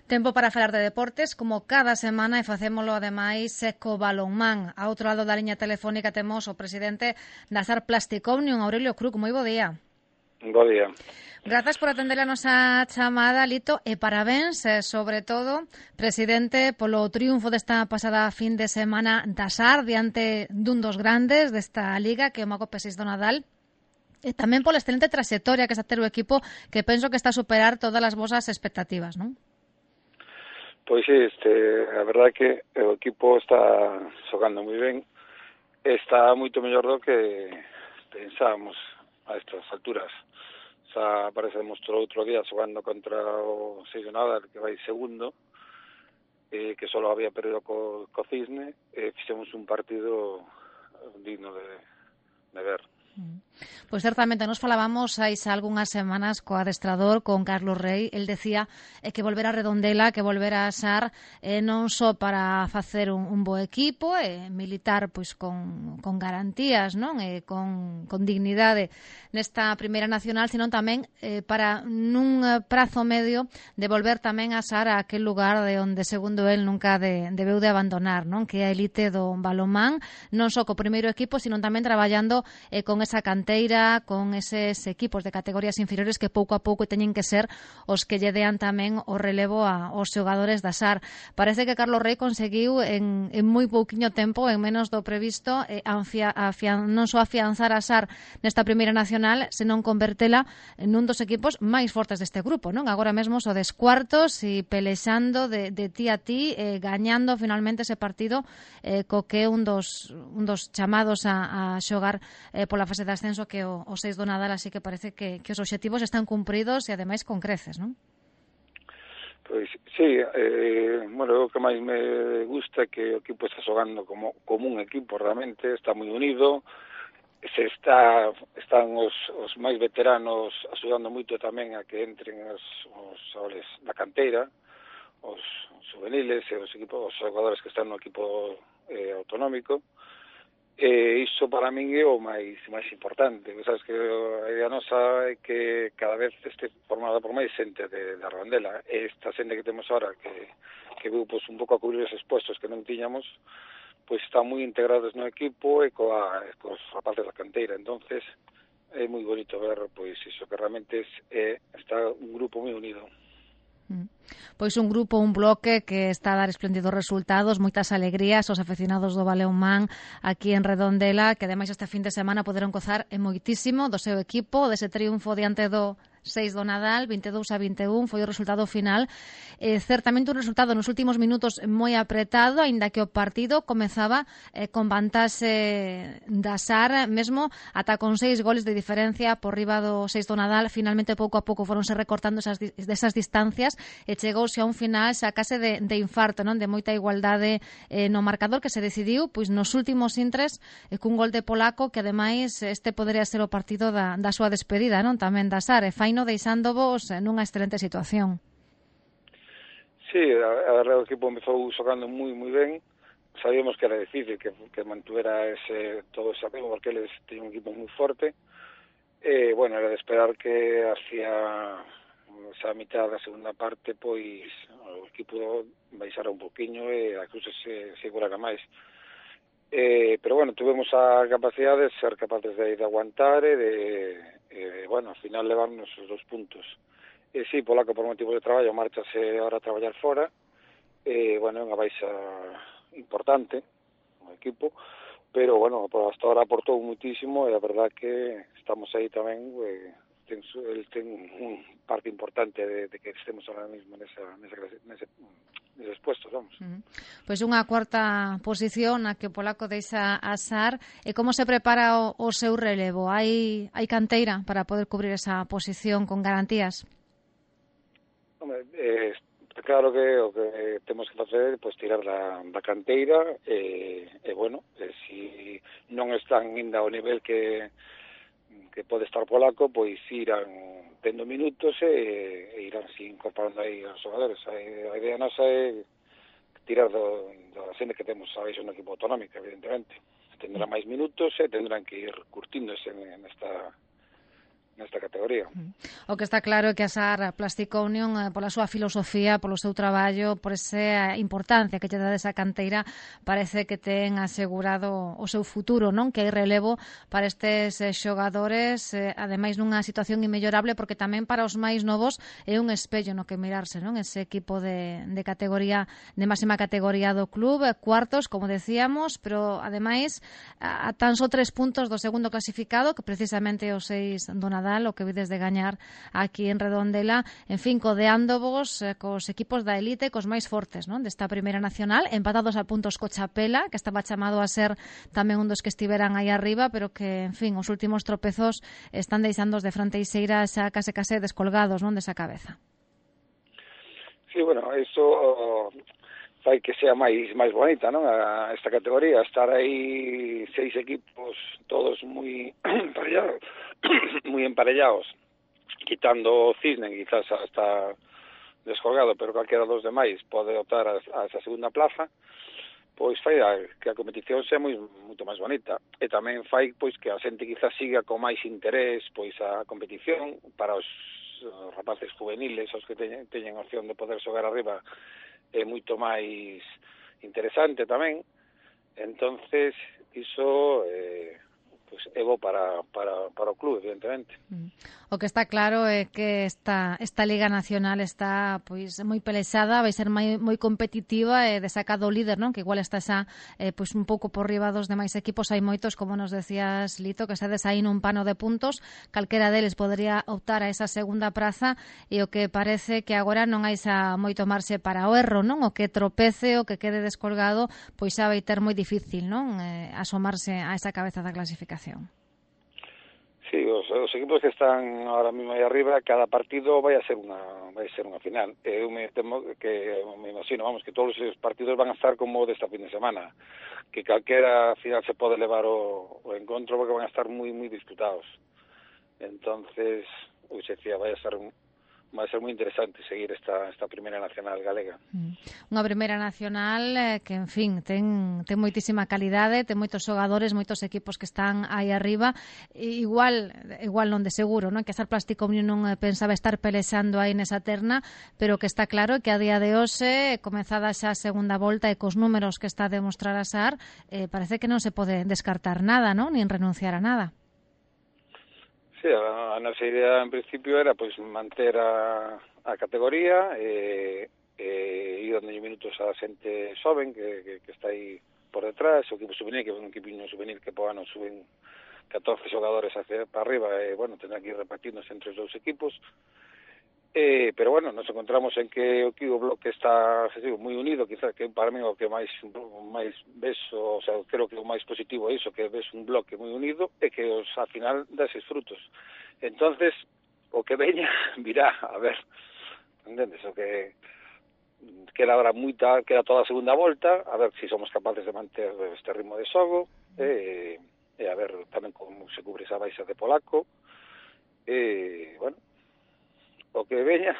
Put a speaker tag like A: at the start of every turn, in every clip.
A: Tempo para falar de deportes, como cada semana, e facémolo ademais co balonmán. A outro lado da liña telefónica temos o presidente da SAR Plastic Omnium, Aurelio Cruz. Moi bo día.
B: Bo día.
A: Grazas por atender a nosa chamada, Lito, e parabéns, sobre todo, presidente, polo triunfo desta pasada fin de semana da SAR diante dun dos grandes desta liga, que é o Mago P6 do Nadal. E tamén pola excelente trayectoria que está a ter o equipo, que penso que está a superar todas as vosas expectativas, non?
B: Pois sí, a verdade é que o equipo está xogando moi ben, está moito mellor do que pensábamos a estas alturas. Xa parece demostrou outro día xogando contra o 6 de Nadal, que vai segundo, que só había perdido co Cisne, e fixemos un partido digno de ver.
A: Pois certamente nos falábamos hai xa algunhas semanas co adestrador, con Carlos Rey. El decía que volver a Redondela, que volver a SAR, non só para facer un bo equipo, militar pois con garantías, non, con dignidade nesta primeira nacional, sino tamén para nun prazo medio de volver tamén a SAR a aquel lugar de onde, segundo el, nunca debeu de abandonar, non, que é a elite do balonmán, non só co primeiro equipo, sino tamén traballando con esa canteira, con eses equipos de categorías inferiores que pouco a pouco teñen que ser os que lle dean tamén o relevo aos xogadores da SAR. Parece que Carlos Rey conseguiu en moi pouquiño tempo, en menos do previsto, non só afianzar a SAR nesta primeira nacional, senón convertela nun dos equipos máis fortes deste grupo, non? Agora mesmo so des cuartos e pelexando de ti a ti, gañando finalmente ese partido co que é un dos chamados a xogar pola fase de ascenso, que o 6 do Nadal, así que parece que os obxectivos están cumpridos e ademais con creces, non?
B: Pois sí, bueno, o que máis me gusta é que o equipo está xogando como un equipo, realmente está moi unido, están os máis veteranos axudando moito tamén a que entren os xogadores da canteira, os juveniles e os xogadores que están no equipo autonómico. Iso para min é o máis importante. Sabes que a idea nosa é que cada vez este formada por máis xente da Redondela. Esta xente que temos ahora, que veu un pouco a cubrir esos puestos que non tiñamos, pois están moi integrados no equipo e cos rapaces da canteira. Entonces é moi bonito ver pois iso, que realmente está un grupo moi unido.
A: Pois un grupo, un bloque que está a dar espléndidos resultados, moitas alegrías aos afeccionados do balonmán aquí en Redondela, que ademais este fin de semana poderon gozar moitísimo do seu equipo, dese triunfo diante do 6 do Nadal, 22-21, foi o resultado final. Certamente un resultado nos últimos minutos moi apretado, aínda que o partido comezaba con vantaxe da SAR, mesmo ata con 6 goles de diferencia por riba do 6 do Nadal. Finalmente, pouco a pouco, foronse recortando desas distancias e chegouse a un final xa case de infarto, non, de moita igualdade no marcador, que se decidiu pois nos últimos intres cun gol de polaco, que ademais este podería ser o partido da súa despedida, non, tamén da SAR, e faino deixándovos nunha excelente situación.
B: Sí, a verdade, o equipo empezou xogando moi ben. Sabíamos que era difícil que mantuvera todo ese ritmo, porque eles teñen un equipo moi forte. Bueno, era de esperar que hacia esa mitad da segunda parte pois o equipo baixara un poquinho e a cousa se segurara máis. Pero bueno, tuvemos a capacidade de ser capaces de aguantar bueno, ao final levarnos os 2 puntos. Sí, polaco por motivo de traballo márchase ahora a traballar fora, bueno, é unha baixa importante no equipo, pero bueno, hasta ahora aportou muitísimo e a verdad que estamos aí tamén, el ten un parte importante de que estemos ahora mismo neses puestos, vamos.
A: Pois unha cuarta posición na que o polaco deixa a SAR. E como se prepara o seu relevo? Hai canteira para poder cubrir esa posición con garantías?
B: Hombre, claro que o que temos que facer é tirar da canteira bueno, si non están ainda ao nivel que pode estar polaco, pois irán tendo minutos e irán incorporando aí os xogadores. A idea nosa é tirar da xente que temos a no equipo autonómico, evidentemente. Tendrán máis minutos e tendrán que ir curtíndose nesta categoría.
A: O que está claro é que a SAR Plastic Union, pola súa filosofía, polo seu traballo, por esa importancia que lle dá desa canteira, parece que ten asegurado o seu futuro, non? Que hai relevo para estes xogadores, ademais nunha situación inmellorable, porque tamén para os máis novos é un espello no que mirarse, non? Ese equipo de categoría, de máxima categoría do club, cuartos, como decíamos, pero ademais a tan só 3 puntos do segundo clasificado, que precisamente os 6 do Nadal, o que vides de gañar aquí en Redondela, en fin, codeándovos cos equipos da elite, cos máis fortes, non? Desta primeira nacional, empatados a puntos co Chapela, que estaba chamado a ser tamén un dos que estiveran aí arriba, pero que, en fin, os últimos tropezos están deixándoos de fronteixeira xa case descolgados, non, desa cabeza.
B: Sí, bueno, eso fai que sea máis bonita, non? Esta categoría, estar aí 6 equipos todos moi emparellados, moi emparellados, quitando o Cisne, quizás hasta descolgado, pero calquera dos demais pode optar a esa segunda plaza, pois fai que a competición sea moito máis bonita, e tamén fai pois que a xente quizás siga con máis interés pois a competición para os rapaces juveniles, os que teñen opción de poder xogar arriba, é moito máis interesante tamén. Entonces iso pues é bo para o club, evidentemente.
A: O que está claro é que esta Liga Nacional está pois moi pelexada, vai ser moi competitiva e desacado o líder, non? Que igual está xa pois un pouco por riba dos demais equipos. Hai moitos, como nos decías, Lito, que estades aí nun pano de puntos, calquera deles podería optar a esa segunda praza, e o que parece que agora non hai xa moito marxe para o erro, non? O que tropece, o que quede descolgado, pois xa vai ter moi difícil, non? Asomarse a esa cabeza da clasificación.
B: Sí, os equipos que están ahora mismo aí arriba, cada partido vai ser unha final. Eu me imagino, vamos, que todos os partidos van a estar como desta fin de semana, que calquera final se pode levar o encontro, porque van a estar moi disputados. Entonces, se decía, vai ser moi interesante seguir esta primeira nacional galega.
A: Unha primeira nacional que, en fin, ten moitísima calidade, ten moitos xogadores, moitos equipos que están aí arriba, igual non de seguro, non? Que a SAR Plastic Union non pensaba estar pelexando aí nesa terna, pero que está claro que a día de hoxe, comezada xa a segunda volta e cos números que está a demostrar a SAR, parece que non se pode descartar nada, non? Nin renunciar a nada.
B: Sí, a nosa idea en principio era pois manter a categoría e ir dando minutos a xente xoven que está aí por detrás, o equipo juvenil, que é un equipiño juvenil que po ano suben 14 xogadores para arriba, e, bueno, tendrán que ir repartindo entre os dous equipos. Pero, bueno, nos encontramos en que o bloque está moi unido, quizás que para mí o que máis ves, o sea, creo que o máis positivo é iso, que ves un bloque moi unido e que ao final dá eses frutos. Entonces, o que veña virá, a ver, entendes? O que queda ahora queda toda a segunda volta, a ver se somos capaces de manter este ritmo de xogo, e a ver tamén como se cubre esa baixa de polaco, bueno, o que veña,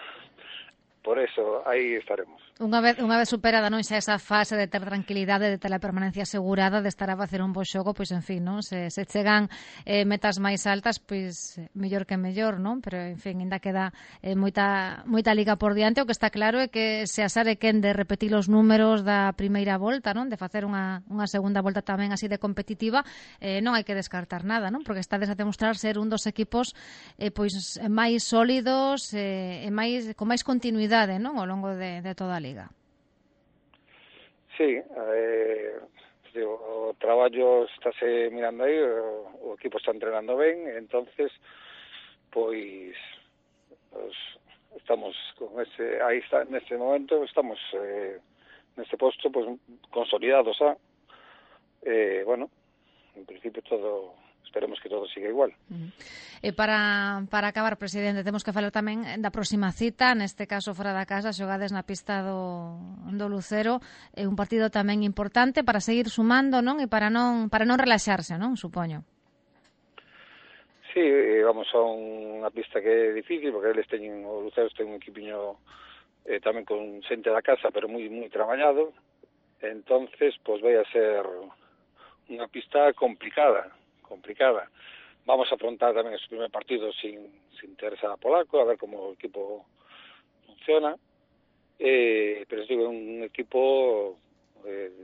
B: por eso aí estaremos.
A: Unha vez superada, non, xa esa fase de ter tranquilidade, de ter a permanencia asegurada, de estar a facer un bo xogo, pois, en fin, non? Se chegan metas máis altas, pois, mellor que mellor, non? Pero, en fin, ainda queda moita liga por diante. O que está claro é que se a SAR é quen de repetir os números da primeira volta, non? De facer unha segunda volta tamén así de competitiva, non hai que descartar nada, non? Porque estades a demostrar ser un dos equipos pois máis sólidos e con máis continuidade, non? Ao longo de toda a liga.
B: Sí, o traballo estáse mirando aí, o equipo está entrenando ben, entonces, pois estamos con aí está, neste momento, estamos neste posto, pois, consolidados xa, bueno, en principio todo, esperemos que todo siga igual.
A: E para acabar, presidente, temos que falar tamén da próxima cita, neste caso fora da casa, xogades na pista do Lucero, é un partido tamén importante para seguir sumando, non? E para non relaxarse, non? Supoño.
B: Sí, vamos a unha pista que é difícil, porque eles o Lucero ten un equipiño tamén con xente da casa, pero moi traballado, entonces, pois vai a ser unha pista complicada. vamos a afrontar tamén ese primer partido sin Teresa Polaco, a ver como o equipo funciona, pero digo, é un equipo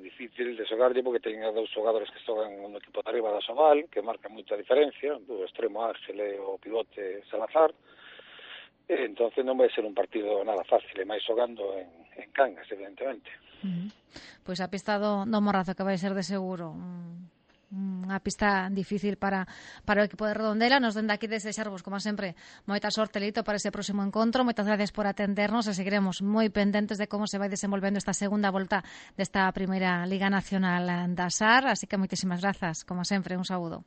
B: difícil de xogarlle porque teñen dous xogadores que xogan no equipo de arriba da Sobal, que marcan moita diferencia, do extremo Ángel e o pivote Salazar. Entonces non vai ser un partido nada fácil, e máis xogando en Cangas, evidentemente.
A: Pois a pista do Morrazo, que vai ser de seguro unha pista difícil para o equipo de Redondela. Nos dende aquí desexarvos, como sempre, moita sorte, Lito, para ese próximo encontro. Moitas gracias por atendernos e seguiremos moi pendentes de como se vai desenvolvendo esta segunda volta desta primeira Liga Nacional da SAR. Así que moitísimas grazas, como sempre, un saúdo.